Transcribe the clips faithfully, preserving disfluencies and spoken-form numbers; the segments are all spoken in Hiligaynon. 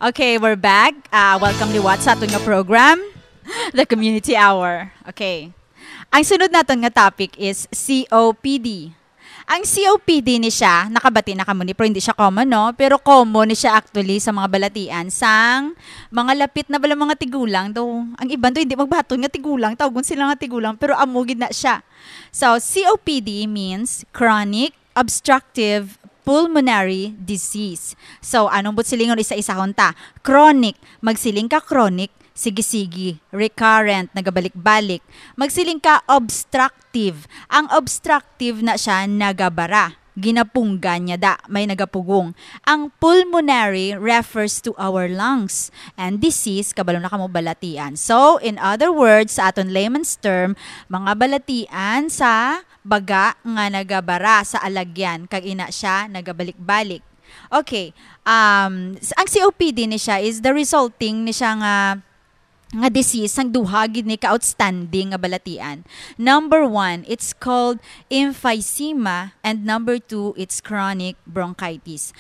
Okay, we're back. Ah, welcome liwat sa aton nga program, The Community Hour. Okay. Ang sunod naton nga topic is C O P D. Ang C O P D ni siya, nakabati na kamo ni, pero hindi siya common, no? Pero common ni siya actually sa mga balatian sang mga lapit na bala mga tigulang. Daw, ang iban daw hindi magbaton nga tigulang, tawgon sila nga tigulang, pero amo gid na siya. So, C O P D means chronic obstructive pulmonary disease. So, anong buot silingon, isa-isahon ta? Chronic, magsiling ka chronic, sige-sige, recurrent, nagabalik-balik. Magsiling ka obstructive. Ang obstructive na siya nagabara. Ginapunggan niya da, may nagapugong. Ang pulmonary refers to our lungs and disease, kabalo na kamo balatian. So, in other words, sa aton layman's term, mga balatian sa baga nga nagabara sa alagyan, kag ina siya nagabalik-balik. Okay, um, s-, ang C O P D ni siya is the resulting ni siya nga, nga disease sang duha gid ni ka outstanding nga balatian. Number one, it's called emphysema, and number two, it's chronic bronchitis.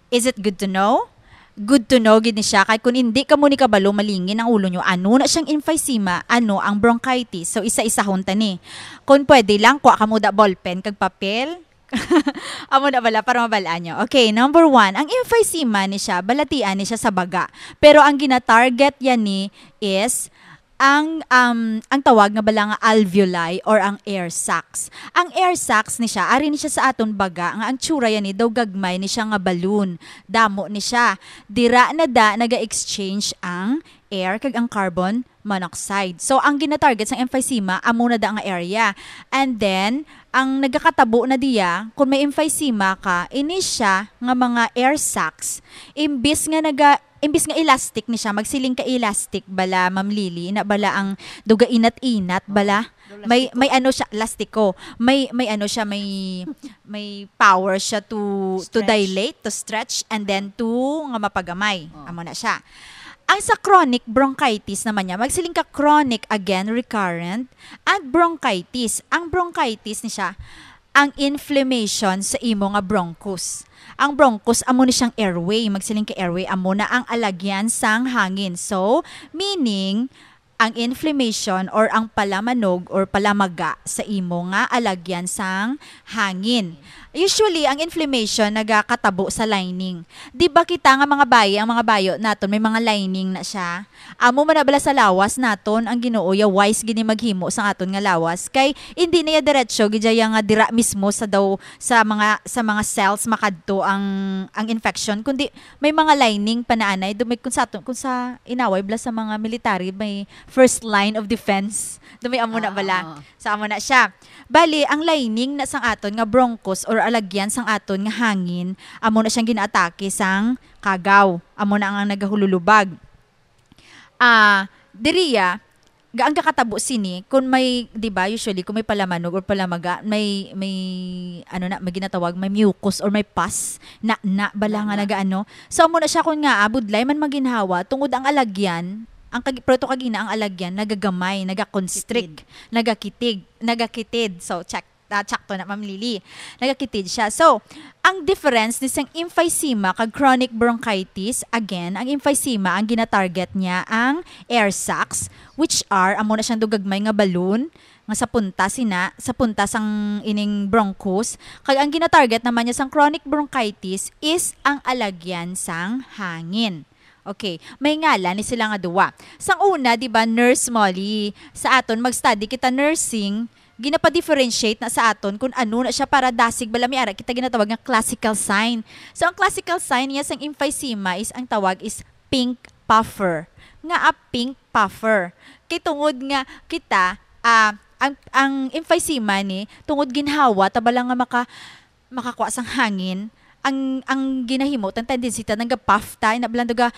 Is it good to know? Good to know gid ni siya, kay kung hindi kamo ni kabalo, malingin ang ulo nyo. Ano na siyang emphysema, ano ang bronchitis? So, isa-isahon ta ni. Kung pwede lang, kuha kamo da ballpen kag papel. Amo na bala, para mabalaan nyo. Okay, number one, ang emphysema ni siya, balatian ni siya sa baga. Pero ang gina-target yan ni is ang, um, ang tawag nga bala nga alveoli or ang air sacs. Ang air sacs ni siya, ari ni siya sa aton baga, nga ang tsura yan ni daw gagmay ni siya nga balloon. Damo ni siya. Dira na da naga-exchange ang air kag ang carbon monoxide. So, ang ginatarget sang emphysema, amo na da nga area. And then, ang nagakatabo na diya, kung may emphysema ka, ini siya nga mga air sacs, imbis nga naga, imbis nga elastic ni siya, magsiling ka elastic bala, Ma'am Lily, ina bala ang duga inat-inat bala. May, may ano siya, lastiko. May, may ano siya, may, may power siya to, to Stretch. dilate, to stretch, and then to nga mapagamay. Oh. Amo na siya. Ang sa chronic bronchitis naman niya, magsiling ka chronic, again, recurrent, and bronchitis. Ang bronchitis ni siya, ang inflammation sa imo nga bronchus. Ang bronchus, amo ni siyang airway. Magsiling ka airway, amo na ang alagyan sang hangin. So, meaning, ang inflammation or ang palamanog or palamaga sa imo nga alagyan sang hangin. Usually, ang inflammation nagakatabo sa lining. Di ba kita nga mga bayi, ang mga bayo naton, may mga lining na siya? Amo man na bala sa lawas naton, ang Ginoo, ya wise gini maghimo sa aton nga lawas. Kay, hindi na ya diretso, gid ya nga dira mismo sa daw, sa mga, sa mga cells makadto ang, ang infection, kundi may mga lining pa na anay, do may kung sa aton, kung sa inaway bala sa mga military, may first line of defense. Do may amo na Ah, bala. oo. Sa amo na siya. Bali, ang lining na sang aton nga bronchus or alagyan sang aton nga hangin, amo na siyang ginaatake sang kagaw. Amo na ang, ang nagahululubag. Ah, diriya, ga-, ang gakatabo sini, kung may, di ba, usually, kung may palamanog or palamaga, may, may, ano na, may ginatawag, may mucus or may pus, na, na, bala Na, nga na. nagaano. So, amo na siya kung nga, ah, budlay man maginhawa, tungod ang alagyan, ang kag-, proto kagina ang alagyan, nagagamay, nagaconstrict, Kitid. nagakitig, nagakitid. So, check. Ah, tsakto na, Ma'am Lily. Nagakitid siya. So, ang difference ni sang emphysema kag chronic bronchitis, again, ang emphysema, ang ginatarget niya ang air sacs, which are, amo na siyang dugagmay nga balloon, nga sa punta sina, sa punta sang ining bronchus, kag ang ginatarget naman niya sang chronic bronchitis is ang alagyan sang hangin. Okay, may ngalan ni sila nga duwa. Sang una, di ba, Nurse Molly, sa aton mag-study kita nursing, ginapa-differentiate na sa aton kung ano na siya para dasig bala may ara kita ginatawag nga classical sign. So, ang classical sign niya sang emphysema is, ang tawag is pink puffer. Nga a pink puffer? Kay tungod nga kita, ah, ang, ang emphysema ni, tungod ginhawa, ta bala nga maka-, makakuha sang hangin, ang, ang ginahimo, ang tendency ta, nagapuff ta, ina bala daw,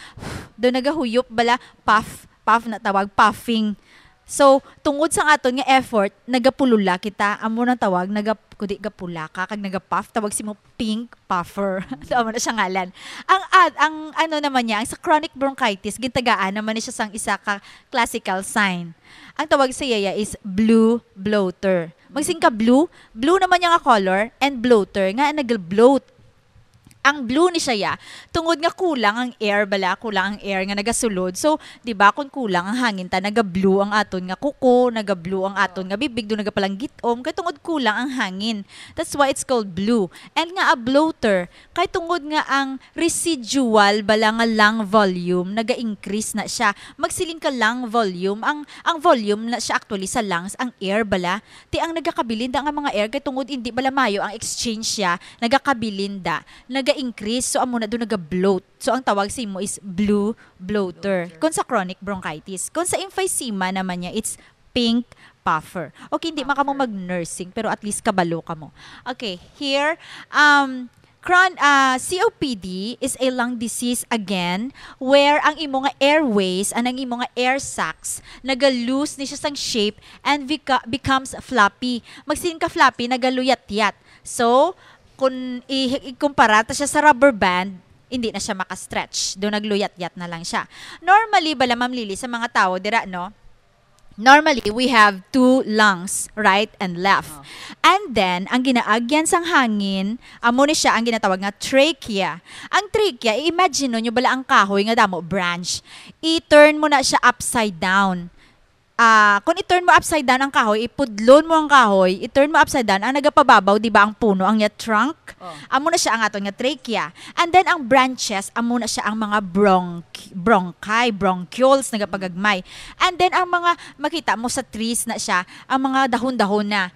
daw nagahuyop bala, puff, puff na tawag, puffing. So, tungod sang aton nga effort, nagapulula kita, amo nang tawag, naga-, kundi gapula ka, kag nagapuff, tawag simo pink puffer. So, amo na siya ngalan. Ang ad-, ang ano naman niya, ang sa chronic bronchitis, gintagaan naman ni siya sang isa ka classical sign. Ang tawag sa iya is blue bloater. Magsiling ka blue, blue naman niya nga color, and bloater, nga nag-bloat. Ang blue ni siya, ya, tungod nga kulang ang air bala, kulang ang air nga nagasulod. So, di ba, kung kulang ang hangin ta, naga-blue ang aton nga kuko, naga-blue ang aton nga bibig, do nagapalanggitom, kay tungod kulang ang hangin. That's why it's called blue. And nga a bloater, kay tungod nga ang residual bala nga lung volume, naga-increase na siya. Magsiling ka lung volume, ang, ang volume na siya actually sa lungs, ang air bala. Ti ang nagakabilin da nga mga air, kay tungod hindi bala mayo ang exchange siya, nagakabilin da, naga-increase, so amo na do naga-bloat. So, ang tawag sa imo is blue bloater. Bloater. Kung sa chronic bronchitis. Kung sa emphysema naman niya, it's pink puffer. Okay, hindi man kamo Puffer. mag-nursing, pero at least kabalo kamo. Okay, here, um, cron-, ah, C O P D is a lung disease again, where ang imo nga airways, ang imo nga air sacs, naga-lose ni siya sang shape and beca-, becomes floppy. Magsiling ka floppy, nagaluyat-yat. So, kung i-, ikumpara ta siya sa rubber band, hindi na siya maka-stretch. Do nagluyat-yat na lang siya. Normally, bala, Ma'am Lily, sa mga tao dira, no? Normally, we have two lungs, right and left. Oh. And then, ang ginaagyan sang hangin, amo ni siya ang ginatawag nga trachea. Ang trachea, i-imagine nyo bala ang kahoy nga damo branch. I-turn mo na siya upside down. Ah, kung i-turn mo upside down ang kahoy, ipudlon mo ang kahoy, i-turn mo upside down, ang nagapababaw, di ba, ang puno, ang iya trunk? Oh. Amo na siya ang aton nga trachea. And then, ang branches, amo na siya ang mga bronch-, bronchi, bronchioles, nagapagagmay. And then, ang mga, makita mo sa trees na siya, ang mga dahon-dahon na.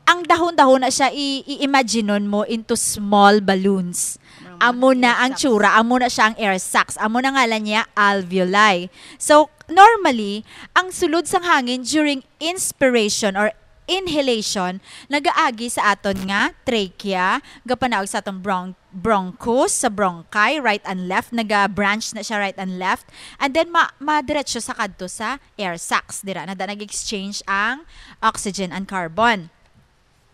Ang dahon-dahon na siya, i-, i-imaginon mo into small balloons. Mga Amo na air ang sacs. tsura, amo na siya ang air sacs. Amo na ngalan niya, alveoli. So, normally, ang sulod sang hangin during inspiration or inhalation, nagaagi sa aton nga trachea, gapanaog sa atong bron-, bronchus, sa bronchi, right and left, naga-branch na siya right and left, and then ma-, madiretso sa kadto sa air sacs, dira na da nag-exchange ang oxygen and carbon.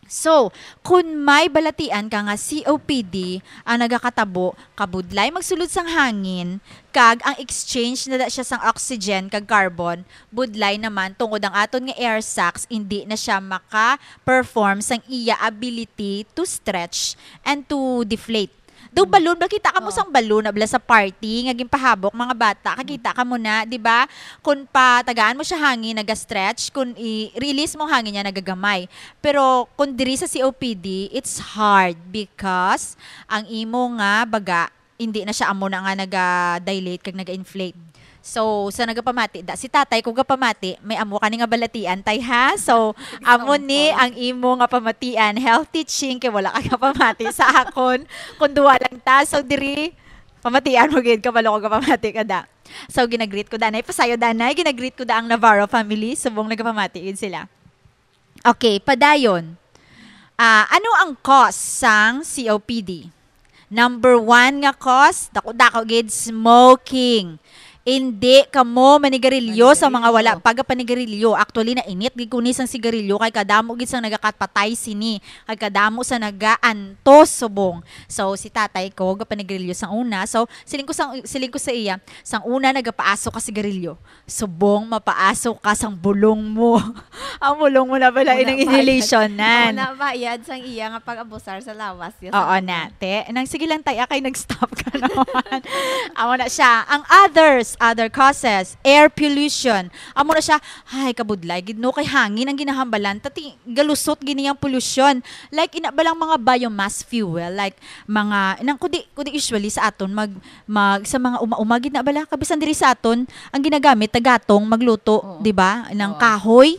So, kun may balatian ka nga C O P D ang nagakatabo, kabudlay magsulod sang hangin, kag ang exchange na da siya sang oxygen kag carbon, budlay naman tungod ang aton nga air sacs indi na siya maka-perform sang iya ability to stretch and to deflate. Do Mm. balloon, nakita ka mo Oo. sang balloon na bala sa party nga ginpahabok mga bata, kakita ka mo na, di ba? Kung patagaan mo siya hangin, naga-stretch, kung i-release mo hangin niya, nagagamay. Pero kung diri sa C O P D, it's hard because ang imo nga baga, hindi na siya amo na nga naga-dilate kag naga-inflate. So, sa nagapamati, da, si tatay ko gapamati, may amo ka ni nga balatian, tay, ha? So, amo ni Example. ang imo nga pamatian, health teaching, kay wala ka gapamati sa akon. Kung duwa lang ta, so diri, pamatian mo gid, kabalo ko gapamati ka da. So, ginagreet ko danay, pasayo danay, ginagreet ko da ang Navarro family, subong nagapamati gid sila. Okay, padayon. Ah, ano ang cause sang C O P D? Number one nga cause, dako-dako gid, smoking. Indi kamo manigarilyo sa mga wala Manigarilyo. pa gapanigarilyo. Actually, nainit gid ko ni sang sigarilyo kay kadamo gid sang nagakapatay sini, kay kadamo sa nagaantos subong. So, si tatay ko gapanigarilyo sang una. So, siling ko sang, siling ko sa iya, sang una nagapaaso ka sigarilyo. Subong mapaaso ka sang bulong mo. Ang bulong mo na pala Muna inang pa. inhalation nan. Muna ba, yad sang iya nga pag-abusar sa lawas, ya, sa Oo una. na, te. Nang sige lang, tay, akay nag-stop ka naman. Amo na siya. Ang others, other causes, air pollution. Amo na siya, ay, kabudlay, gid no, kay hangin ang ginahambalan. Tati, galusot gini ang pollution. Like, ina ba lang mga biomass fuel? Like, mga, nang, kundi, kundi usually sa aton, mag, mag, sa mga uma-uma, gid na bala. Kabisan diri sa aton, ang ginagamit, tagatong, magluto, Oo. di ba? Ng Oo. kahoy.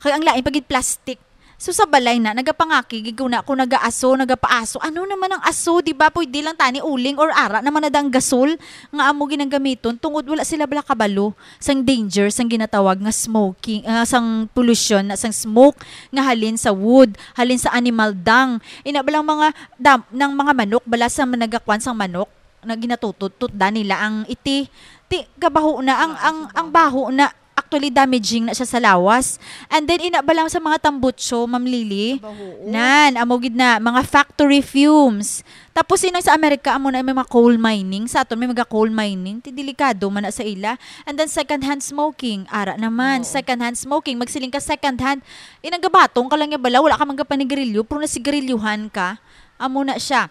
Kay ang lain, pagid plastic. So, sa balay na, nagapangaki, gid ko na, kung nagaaso, nagapaaso. Ano naman ang aso, di ba? Pwede lang tani uling or ara naman na dang gasol nga amo ginagamiton tungod wala sila bala kabalo sang danger, sang ginatawag nga smoking, ah, sang pollution, na sang smoke nga halin sa wood, halin sa animal dung. Ina ba lang mga dam-, nang mga manok bala sa nagakwan sang manok, na ginatutututdan nila ang iti. Ti, kabaho na ang, Ah, ang, sa ang baho. baho na actually damaging na siya sa lawas. And then, ina ba lang sa mga tambutso, Ma'am Lily? Kabaho. Nan, amo gid na, mga factory fumes. Tapos, inang sa Amerika, amo na may mga coal mining. Sa aton, may mga coal mining. Ti, delikado man na sa ila. And then, second-hand smoking. Ara naman, Oo. second-hand smoking. Magsiling ka second-hand. Inang gabatong ka lang niya bala, wala ka man gapanigarilyo, pero nasigarilyuhan ka. Amo na siya.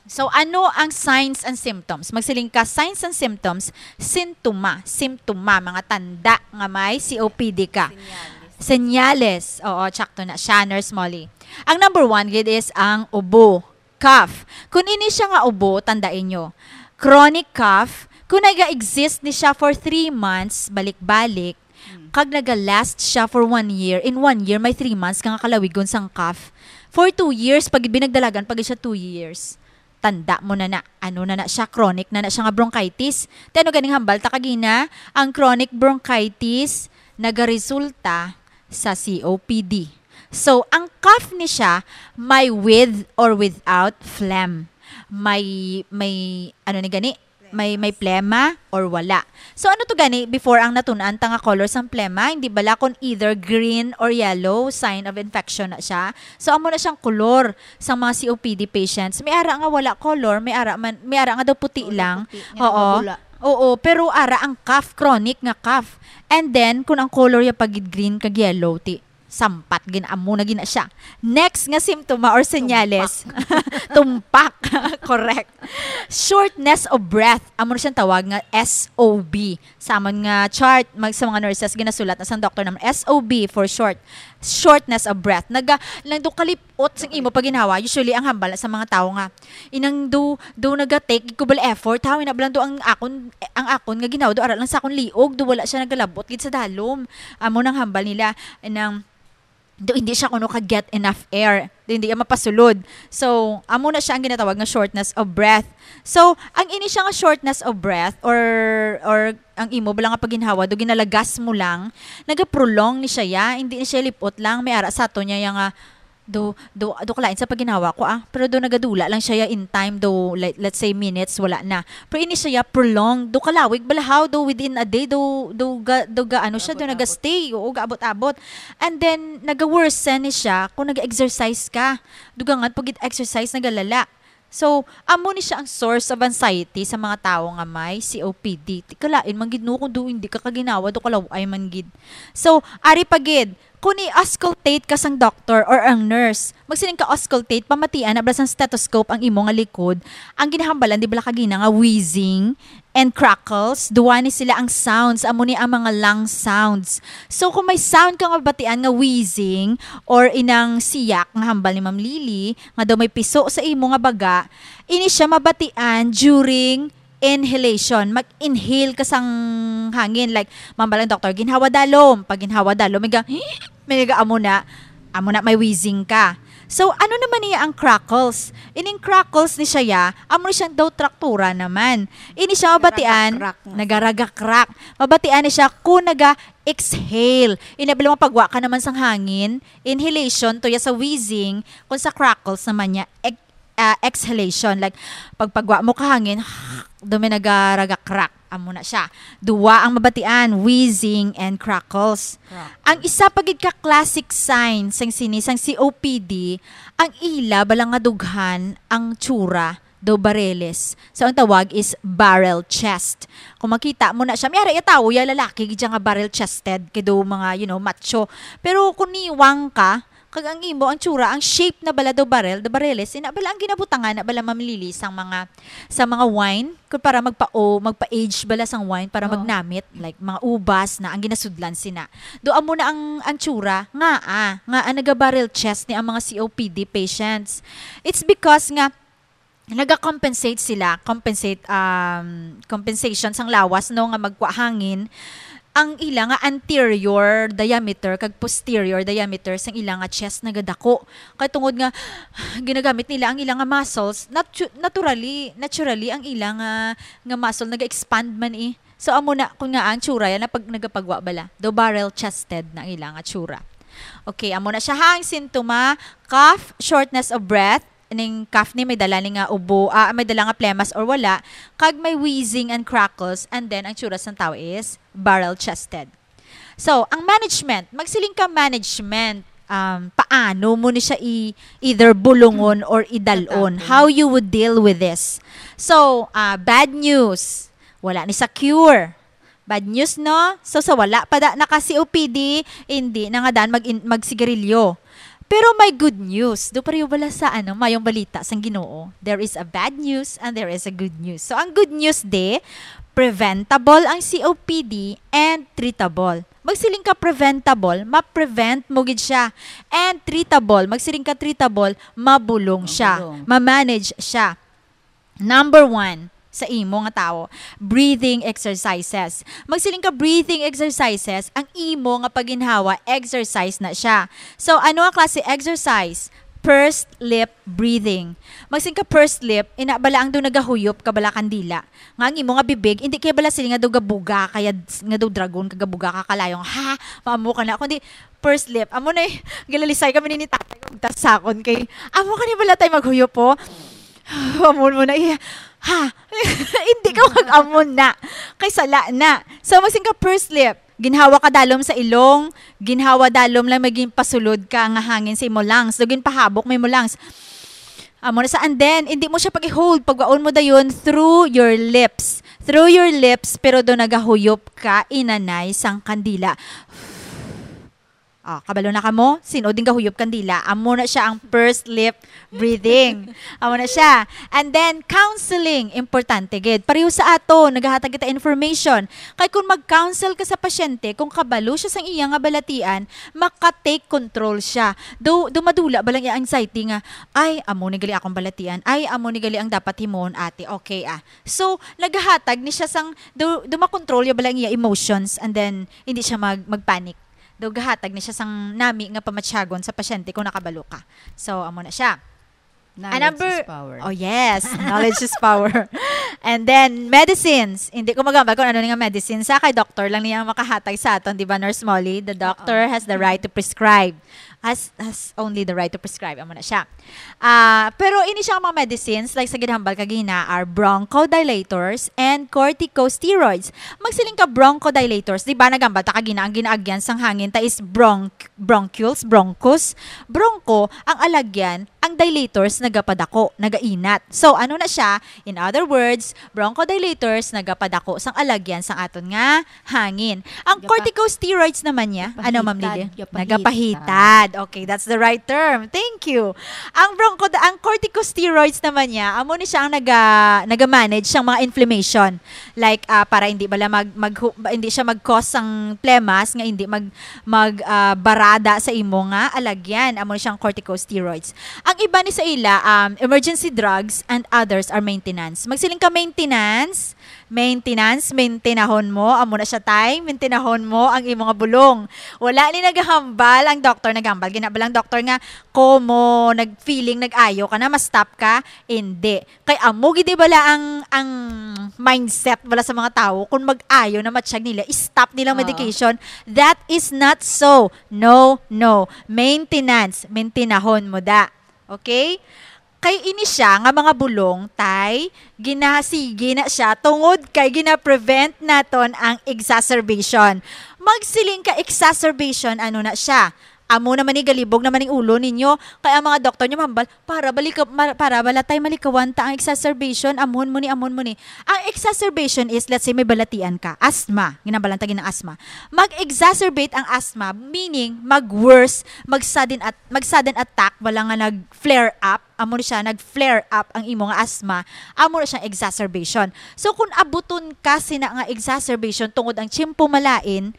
So, ano ang signs and symptoms? Magsiling ka, signs and symptoms, sintoma, simptoma, mga tanda nga may C O P D ka. Senyales. Senyales. Oo, tsakto na siya, Nurse Molly. Ang number one gid is ang ubo, cough. Kung ini siya nga ubo, tandaan nyo, chronic cough, kung nag-exist ni siya for three months, balik-balik, Mm. kag naga-last siya for one year, in one year, may three months ka nga kalawigon sang cough. For two years, pag binagdalagan, pag siya two years, tanda mo na na. Ano na na siya? Chronic na na siya nga bronchitis. Te, ano ganing hambal ta kagina? Ang chronic bronchitis nagaresulta sa C O P D. So, ang cough ni siya may with or without phlegm. May, may, ano ni gani? May, may plema or wala. So, ano to gani before ang natun-an ta nga color sang plema? Hindi bala kung either green or yellow, sign of infection na siya. So, amo na siyang color sa mga C O P D patients. May ara nga wala color, may ara man, may ara nga daw puti Wala lang. puti, nga Oo. mabula. Oo, pero ara ang cough, chronic nga cough. And then, kung ang color ya pagid green kag yellow, ti, sampat gin, amo na gina siya. Next nga simptoma or senyales. Tumpak. Correct. Shortness of breath. Amo na siyang tawag nga S O B. Sa amon nga chart, mag, sa mga nurses, ginasulat na sang doctor naman, S O B for short. Shortness of breath. Naga, lang do kalipot sing imo paginhawa. Usually, ang hambal sa mga tao nga, inang do, do naga-take ko bala effort, ha? Ina bala do ang akon, ang akon nga ginawa, do ara lang sa akon liog, do wala siya nagalabot gid sa dalom. Amo nang hambal nila, nang do hindi siya kuno ka-get enough air. Do hindi siya mapasulod. So, amo na siya ang ginatawag nga shortness of breath. So, ang ini siya nga shortness of breath or, or ang imo bala nga paginhawa, do ginalagas mo lang, nagaprolong ni siya ya, hindi ni siya lipot lang, may ara sa ato niya ya nga, do, do, do kalain sa paginhawa ko, ah. Pero do nagadula lang siya ya in time, do, like, let's say, minutes, wala na. Pero ini siya ya prolonged, do kalawig bala haw, do within a day, do, do ga, do ga, ano siya, do Gaabot-abot. naga-stay, oo, gaabot-abot. And then, naga-worsen ni siya kung nag-exercise ka. Dugangan pag exercise, nagalala. So, amo ni siya ang source of anxiety sa mga tawo nga may C O P D. Ti kalain man gid, no, kung do hindi ka kaginawa, do kalaw-ay man gid. So, ari pa gid, kung i-auscultate ka sang doctor or ang nurse, magsiling ka auscultate, pamatian na bala sang stethoscope ang imo nga likod, ang ginahambalan di bala kagina nga wheezing and crackles, duwa ni sila ang sounds, amo ni ang mga lung sounds. So, kung may sound ka nga mabatian nga wheezing or inang siyak nga hambal ni Ma'am Lily, nga daw may piso sa imo nga baga, ini siya mabatian during inhalation. Mag-inhale ka sang hangin. Like, mambal ang doktor, "Ginhawa dalom." Pag ginhawa dalom, may ga-, may ga-, amo na, amo na, may wheezing ka. So, ano naman niya ang crackles? Ining crackles ni siya, ya, amo ni siyang daw traktura naman. Ini siya mabatian, Nagaragakrak na. nagaragakrak. Mabatian ni siya kung naga-exhale. Ini, bilang mapagwa ka naman sang hangin, inhalation, to ya sa wheezing, kung sa crackles naman niya, ex-, ah, exhalation. Like, pagpagwa mo ka hangin, do may nagaragakrak. Amo na siya. Duwa ang mabatian, wheezing and crackles. Crackles. Ang isa pa gid ka classic sign sang sini, sang C O P D, ang ila bala nga dughan ang tsura, do barreles. So, ang tawag is barrel chest. Kung makita mo na siya, may ara ya tawo ya, lalaki gid siya nga barrel chested, kay do mga, you know, macho. Pero kung niwang ka, kag ang imo, ang tsura, ang shape na bala do barrel, do barreles, ina bala ang ginabutangan na bala, Ma'am Lily, sang mga, sa mga wine, kung para magpa-, o, magpa-age bala sang wine para Oh. magnamit, like mga ubas na ang ginasudlan sina. Do amo na ang, ang tsura, nga, ah, nga ang naga-barrel chest ni ang mga C O P D patients. It's because nga, naga-compensate sila, compensate, um, compensation sang lawas, no, nga magkwa hangin, ang ila nga anterior diameter kag posterior diameter sang ila nga chest nagadako. Kay tungod nga ginagamit nila ang ila nga muscles, natu-, naturally, naturally ang ila nga, nga muscle naga-expand man, eh. So, amo na, kung nga ang tsura yan, na pag nagapagwa bala, do barrel chested na ang ila nga tsura. Okay, amo na siya, ha, ang sintoma, cough, shortness of breath, ning cough ni may dala ni nga ubo, ah, may dala nga plemas or wala, kag may wheezing and crackles, and then ang tsura sang tao is barrel chested. So, ang management, magsiling ka management, um, paano mo ni siya i-, either bulungon or idalon? Tatakon. How you would deal with this? So, ah, bad news, wala ni sa cure. Bad news, no? So, sa wala pa da naka C O P D, hindi na nga dan mag-, magsigarilyo. Pero may good news. Do pareho bala sa, ano, mayong balita sang Ginoo. There is a bad news and there is a good news. So, ang good news de, preventable ang C O P D and treatable. Magsiling ka preventable, ma-prevent mo gid siya. And treatable, magsiling ka treatable, mabulong siya, Mabulong. ma-manage siya. Number one sa imo nga tawo, breathing exercises. Magsiling ka breathing exercises, ang imo nga paginhawa, exercise na siya. So, ano nga klase exercise? Pursed lip breathing. Magsiling ka pursed lip, ina bala ang do nagahuyop ka bala kandila. Nga ang imo nga bibig, hindi kay bala sila nga do gabuga, kaya s-, nga do dragon, kagabuga ka kalayong, ha, maamo ka na. Kundi, pursed lip. Amo na eh, gilalisay kami ni tatay, kung tasakon kay, amo ka ni bala tay maghuyop po. Amo mo na iya. Ha? Hindi ka mag-amo na. Kay sala na. So, magsiling ka pursed lip. Ginhawa ka dalom sa ilong, ginhawa dalom lang maging pasulod ka nga hangin sa imo lungs. Daw ginpahabok mo imo lungs. Amo na sa, and then, hindi mo siya pag-hold. Pagwaon mo dayon through your lips. Through your lips, pero do nagahuyop ka, inanay sang kandila. Ah, kabalo na kamo? Sin-o din gahuyop kandila? Amo na siya ang pursed lip breathing. Amo na siya. And then, counseling, importante gid. Pareho sa ato, nagahatag kita information. Kay kung mag-counsel ka sa pasyente, kung kabalo siya sang iya nga balatian, maka-take control siya. Do, do madula ba lang iya anxiety nga, "Ay, amo ni gali akong balatian. Ay, amo ni gali ang dapat himuon, ate. Okay, ah." So, nagahatag ni siya sang, do, do makontrol ya ba lang iya emotions, and then, hindi siya mag, mag-panic. Daw gahatag ni siya sang nami nga pamatyagon sa pasyente kung nakabalo ka. So, amo na siya. Knowledge Another is power. Oh, yes. Knowledge is power. And then, medicines. Hindi ko magambal kung ano ni nga medicines. Sa kay doctor lang niya ang makahatag sa aton, di ba, Nurse Molly? The doctor Oo. has the right to prescribe. Has, has only the right to prescribe. Amo na siya. Ah, pero ini siya ang mga medicines, like sa ginhambal kagina, are bronchodilators and corticosteroids. Magsiling ka bronchodilators, di ba, nagambal ta kagina, ang ginaagyan sang hangin ta is bronch-, bronchioles, bronchus. Broncho, ang alagyan, ang dilators, nagapadako, nagainat. So, ano na siya? In other words, bronchodilators, nagapadako sang alagyan sang aton nga hangin. Ang Gapa-, corticosteroids naman niya, ano, Ma'am gapahitad, Lily? gapahitad. Nagapahitad. Okay, that's the right term. Thank you. Ang broncho-, ang corticosteroids naman niya, amo ni siya ang naga-, naga-manage sang mga inflammation. Like, ah, para hindi bala mag-, mag-, hindi siya mag-cause sang plemas nga hindi mag-, mag, ah, barada sa imo nga alagyan. Amo ni siyang corticosteroids. Ang iba ni sa ila, um, emergency drugs and others are maintenance. Magsiling ka maintenance, Maintenance, maintinahon mo, amo na siya, tay. Maintinahon mo ang imo nga bulong. Wala ni nagahambal ang doktor, nagahambal gina ba lang doktor nga, ko mo nag-feeling nag-ayo ka na, ma-stop ka? Hindi. Kay amo gid bala ang, ang mindset bala sa mga tawo, kung mag-ayo na matsyag nila, i-stop nilang Oo. medication. That is not so. No, no. Maintenance, maintinahon mo da. Okay? Kay ini siya nga mga bulong, tay, ginasigi na siya tungod kay gina-prevent naton ang exacerbation. Magsiling ka exacerbation, ano na siya? Amo naman ni galibog naman ning ulo ninyo, kay ang mga doktor nyo mahambal, para balika-, ma-, para bala tay malikawan ta ang exacerbation, amon mo ni, amon mo ni. Ang exacerbation is, let's say, may balatian ka, asthma, ginabalan ta gina asthma. Mag-exacerbate ang asthma, meaning mag-worse, mag-sudden at-, mag-sudden attack, wala nga nag-flare up, amo ni siya, nag-flare up ang imo nga asthma, amo na siyang exacerbation. So, kung abuton ka sina nga exacerbation tungod ang tiyempo malain,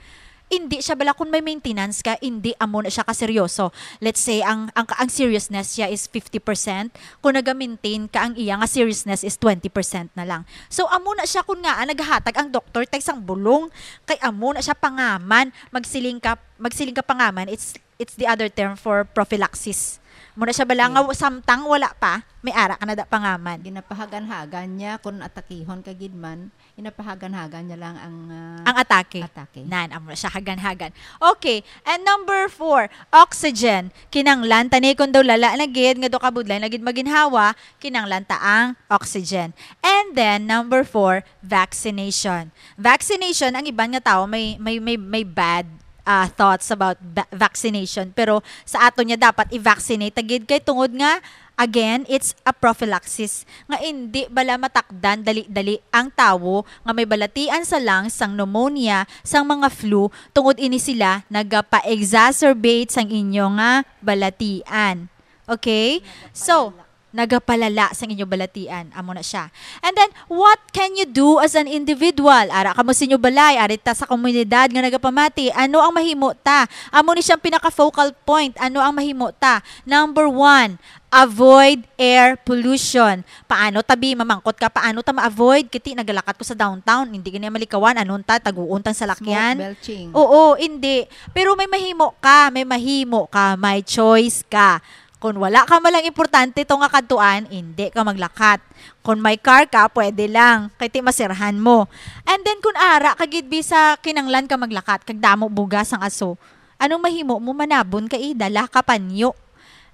hindi siya bala, kung may maintenance ka, hindi amo na siya kaseryoso. Let's say, ang, ang, ang seriousness siya is fifty percent, kung naga-maintain ka, ang iya nga seriousness is twenty percent na lang. So, amo na siya kung nga, ah, naghatag ang doktor tay sang bulong, kay amo na siya pangaman, magsiling ka, magsiling ka pangaman, it's it's the other term for prophylaxis. Muna siya bala nga Okay. samtang wala pa, may ara ka na da pangaman. Ginapahagan-hagan niya kung atakihon ka gid man, ginapahagan-hagan niya lang ang, ah, Ang atake. atake. Nan, amo na siya hagan-hagan. Okay, and number four, oxygen. Kinanglan ta ni kung daw lala na gid, nga do kabudlay na gid maginhawa, kinanglan ta ang oxygen. And then, number four, vaccination. Vaccination, ang iban nga tao may, may, may, may bad, ah, thoughts about va-, vaccination. Pero sa aton niya dapat i-vaccinate ta gid kay tungod nga, again, it's a prophylaxis. Nga indi bala matakdan dali-dali ang tawo nga may balatian sa lungs sang pneumonia, sang mga flu, tungod ini sila nagapa-exacerbate sang inyo nga balatian. Okay? So, nagapalala sang inyo balatian. Amo na siya. And then, what can you do as an individual? Ara kamo sa inyo balay, ari ta sa komunidad nga nagapamati. Ano ang mahimo ta? Amo ni siyang pinaka-focal point. Ano ang mahimo ta? Number one, avoid air pollution. Paano, tabi, mamangkot ka, paano ta ma-avoid? Kiti, nagalakat ko sa downtown, hindi gani malikawan, anon ta, taguon tang salakyan. Smoke belching. Oo, hindi. Pero may mahimo ka, may mahimo ka, may choice ka. Kung wala ka man lang importante to nga kadtuan, hindi ka maglakat. Kung may car ka, pwede lang, kay ti masirhan mo. And then, kung ara ka gid, bisa kinanglan ka maglakat, kag damo bugas ang aso, anong mahimo mo? Manabon ka, eh, dala ka panyo.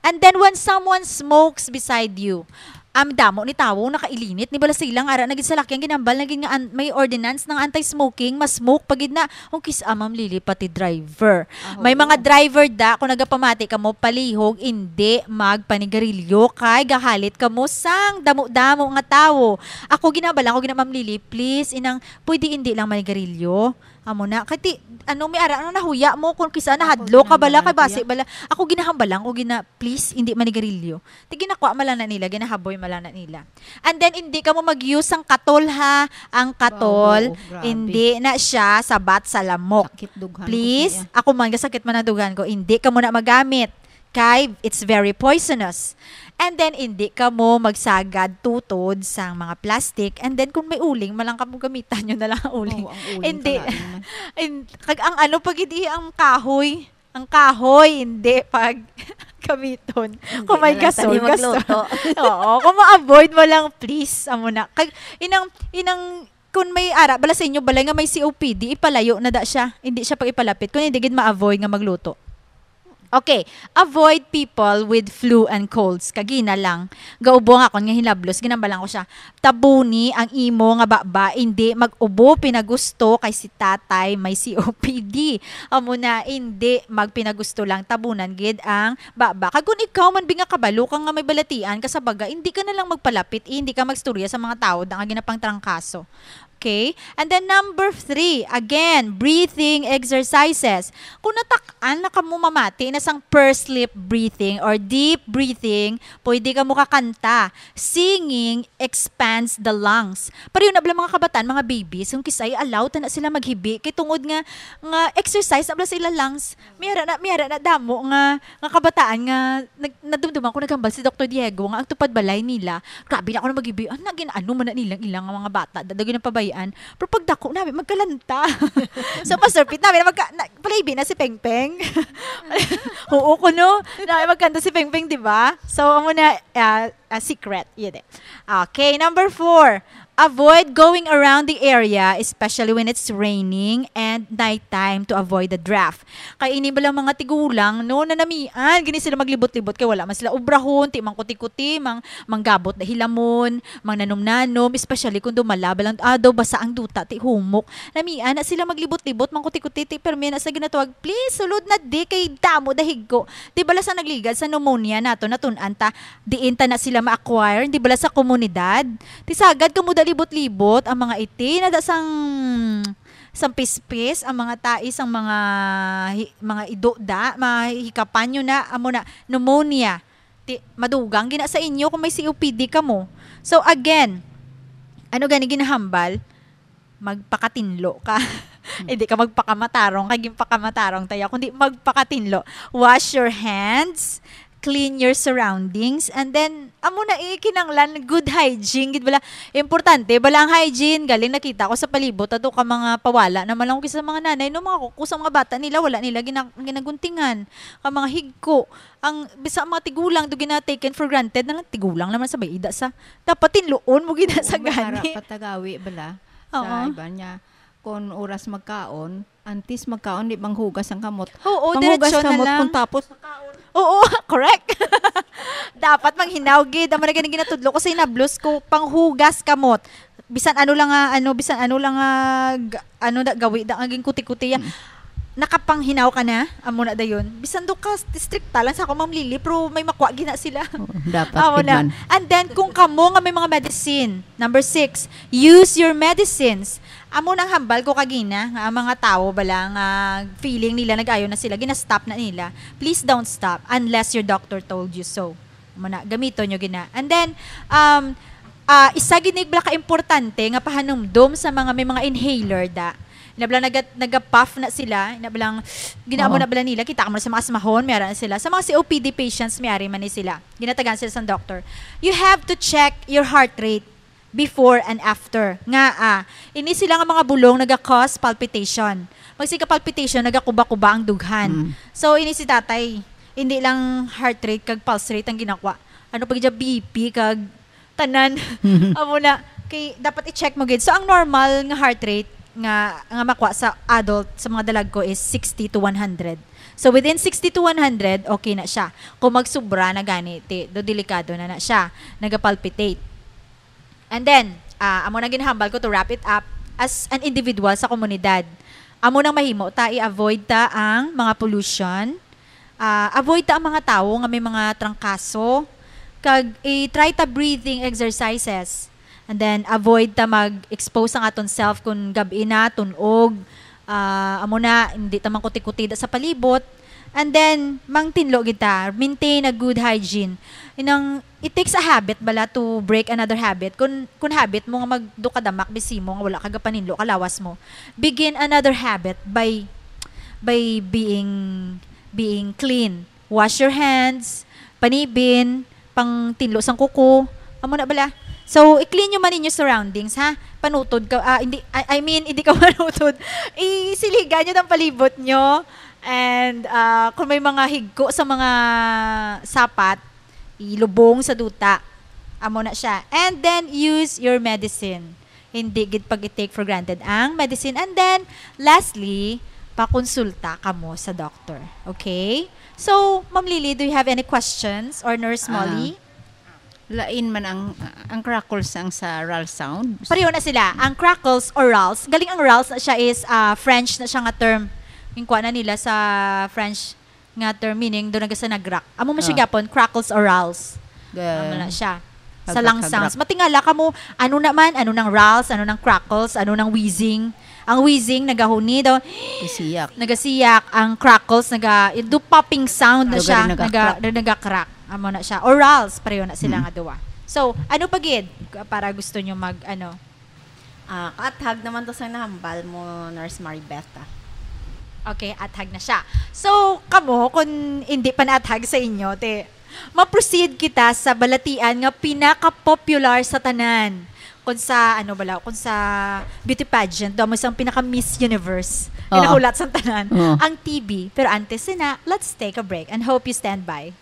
And then, when someone smokes beside you, ang damo ni tawo nakailinit, ni bala sila nga ara na gid sa lakyan, ginambal na gid nga an-, may ordinance ng anti-smoking, mas smoke pa gid na. Ang kis-a, Ma'am Lily, pati driver. Aho. May mga driver da, kung nagapamati kamo palihog, indi magpanigarilyo kay gahalit kamo sang damo-damo nga tawo. Ako, ginabalan ko gina, Ma'am Lily, please, inang, pwede indi lang manigarilyo. Amo na. Kay ti, ano, may ara, ano, nahuya mo kung kisa nahadlok ka bala, kay basi bala. Ako, ginahambalan ko gina, please, indi manigarilyo. Ti, ginakuha man lang na nila, ginahaboy man lang na nila. And then, hindi ka mo mag-use sang katol, ha. Ang katol, hindi na siya sabat sa lamok. Sakit dughan ko. Please, ako man, gasakit man ang dughan ko. Hindi ka mo na magamit. Kay, it's very poisonous. And then, hindi ka mo magsagad tutod sang mga plastic. And then, kung may uling, malang ka mo gamitan nyo na lang ang uling. Oo, ang uling. Hindi. Kalain man. In-, kag ang ano pa gid, eh, ang kahoy. Ang kahoy, hindi pag gamiton. Hindi. Kung may na lang gasol, tani gasol. Magluto. Oo, kung ma-avoid mo lang, please, amo na. Kag, inang, inang, kung may ara, bala sa inyo, balay nga may C O P D, ipalayo na da siya. Hindi siya pag ipalapit. Kung hindi gid ma-avoid nga magluto. Okay, avoid people with flu and colds. Kagina lang, gaubo nga akon nga hinablos, ginambalan ko siya. Tabuni ang imo nga baba, indi mag-ubo pinagusto kay si tatay may C O P D. Amo na, indi magpinagusto lang, tabunan gid ang baba. Kag kung ikaw man bi nga kabalo ka nga may balatian ka sa baga, indi ka na lang magpalapit, eh, indi ka magstorya sa mga tawo da nga ginapangtrangkaso. Okay? And then number three, again, breathing exercises. Kung natak-an na kamo mamati na sang pursed lip breathing or deep breathing, pwede kamo kakanta. Singing expands the lungs. Pareho na bala mga kabataan, mga babies, kung kisay, allow ta na sila maghibi. Kay tungod nga, nga exercise na bala sa ila lungs. Miyara na, miyara na damo nga, nga kabataan nga nag-, nadumduman ko naghambal si Doktor Diego nga ang tupad balay nila, grabe na ako na maghibi. Ano, gin-, ano man na nilang ilang mga bata, dadaw ginapabayaan. Pero pag dako namin, magkalanta. So, Pastor Pete, namin na magka-, na, palabi na si Peng Peng. Oo, kuno. Namin magkanta si Peng Peng, di ba? So, amo na, ah, ah, secret. Yun eh. Okay, number four. Avoid going around the area, especially when it's raining and nighttime, to avoid the draft. Kay ini bala mga tigulang, no, nanamian gini sila maglibot-libot kay wala man sila obrahon, ti mangkuti-kuti, mang-, manggabot na hilamon, mangnanom-nanom, especially kung dumala bala ang adlaw, basa ang duta, ti humok. Namian na sila maglibot-libot, mangkuti-kuti, ti permi na sa ginatawag, "Please, sulod na di kay damo dahig ko." Di bala sa nagligad sa pneumonia nato, natun-an ta, diin ta na sila ma-acquire, di bala sa komunidad. Ti sagad kamo da libot-libot, ang mga iti, nada sang, sang pispis, ang mga tai, sang mga hi-, mga ido da, mahikapan nyo na, amo na, pneumonia. Ti, madugang gina sa inyo kung may C O P D kamo. So again, ano gani ginahambal? Magpakatinlo ka. Hindi ka magpakamatarong, kay ginpakamatarong tayo, kundi magpakatinlo. Wash your hands, clean your surroundings, and then, amo na, eh, kinanglan, good hygiene, gid bala. Importante bala ang hygiene. Galing nakita ko sa palibot, ato ka mga pawala naman lang ko sa mga nanay, no, mga kuko sa mga bata nila, wala nila gina-, ginaguntingan. Ka mga higko, ang, bisa ang mga tigulang, do gina-taken for granted na lang, tigulang naman sa may ida sa, dapat tinluon mo gid na sa gani. May ara patagawi bala. Oo. Sa iba niya, kung oras magkaon, antes magkaon, di manghugas ang kamot. Oo, manghugas diretso na kamot lang. Kung tapos, oo, correct. Dapat manghinaw gid. Amo na gani ginatudlo ko sa hinablos ko, panghugas kamot. Bisan ano lang nga, ano, bisan ano lang nga, g-, ano na, gawi da, nga ginkuti-kuti ya. Mm. Nakapanghinaw ka na, amo na dayon. Bisan do ka, strikta lang sa ako, Ma'am Lily, pero may makuha gina sila. Oo, dapat Amo gid na. man. And then, kung kamo nga may mga medicine, number six, use your medicines. Amo nang hambal ko kagina, nga ang mga tawo bala nga feeling nila nag-ayo na sila, gina-stop na nila. Please don't stop unless your doctor told you so. Amo na, gamito nyo gina. And then, um, ah, isa gid ni bala ka importante nga pahanumdom sa mga may mga inhaler da. Ina bala naga, naga-puff na sila, ina bala ginaamo Oo. na bala nila, kita mo na sa mga asmahon, may ara na sila. Sa mga C O P D patients, may ari man ni sila. Ginatagan sila sa doctor. You have to check your heart rate before and after. Nga, ah, ini sila nga mga bulong naga-cause palpitation. Pag sige palpitation, nagakuba-kuba ang dughan. Mm. So, ini si tatay, hindi lang heart rate kag pulse rate ang ginakuha. Ano pa gid siya, B P kag tanan. Amo na, kay dapat i-check mo gid. So, ang normal nga heart rate nga nga makuha sa adult, sa mga dalagko, is sixty to one hundred. So, within sixty to one hundred, okay na siya. Kung magsubra na gani, ti, do delikado na na siya. Nagapalpitate. And then, ah, amo na ginhambal ko to wrap it up, as an individual sa komunidad. Amo nang mahimo ta, i-avoid ta ang mga pollution, ah, avoid ta ang mga tawo nga may mga trangkaso, kag i-try ta breathing exercises. And then, avoid ta mag-expose ang aton self kung gab-i na, tun-og, ah, amo na, hindi ta man kuti-kuti da sa palibot. And then, mangtinlo gid ta, maintain a good hygiene. Inang, it takes a habit bala to break another habit. Kung, kung habit mo nga magdukadamak, bisi mo nga wala ka gapaninlo ka lawas mo, begin another habit by, by being, being clean. Wash your hands, panibin, pangtinlo sang kuko. Amo na bala. So, i-clean nyo man inyo surroundings, ha? Panutod ka, ah, hindi, I, I mean, hindi ka manutod. Isiligan nyo ang palibot nyo. And, ah, kung may mga higko sa mga sapat, ilubong sa duta. Amo na siya. And then, use your medicine. Hindi gid pag-take for granted ang medicine. And then, lastly, pakonsulta kamo sa doctor. Okay? So, Ma'am Lily, do you have any questions? Or Nurse Ah, Molly? Lain man ang ang crackles ang sa RALS sound. Pareho na sila. Ang crackles or RALS, galing ang RALS na siya is, ah, French na siya nga term. Yung kuha na nila sa French nga term, meaning doon naga sa nagrak. Amo mo siya Ah. gyapon, crackles or RALS. Ga- Amo na siya. Sa Hagrak, lung hagrak. sounds. Matingala ka mo, ano naman, ano nang RALS, ano nang crackles, ano nang wheezing. Ang wheezing, nagahuni daw, Isiyak. nagasiyak. Ang crackles, naga, do popping sound na Lugar siya. yung Naga, nagakrak. nagakrak. Amo na siya. Or RALS, pareho na sila Mm. nga duwa. So, ano pa gid para gusto nyo mag, ano? Ah, kaathag naman to sa nahambal mo, Nurse Maribeth, ah. Okay, athag na siya. So, kamo, kung hindi pa naathag sa inyo, te, ma-proceed kita sa balatian nga pinaka-popular sa tanan. Kung sa, ano bala, kung sa beauty pageant, do mo isang pinaka-Miss Universe. Oo. Pinahulat sa tanan, Oo. ang T B. Pero antes na, let's take a break and hope you stand by.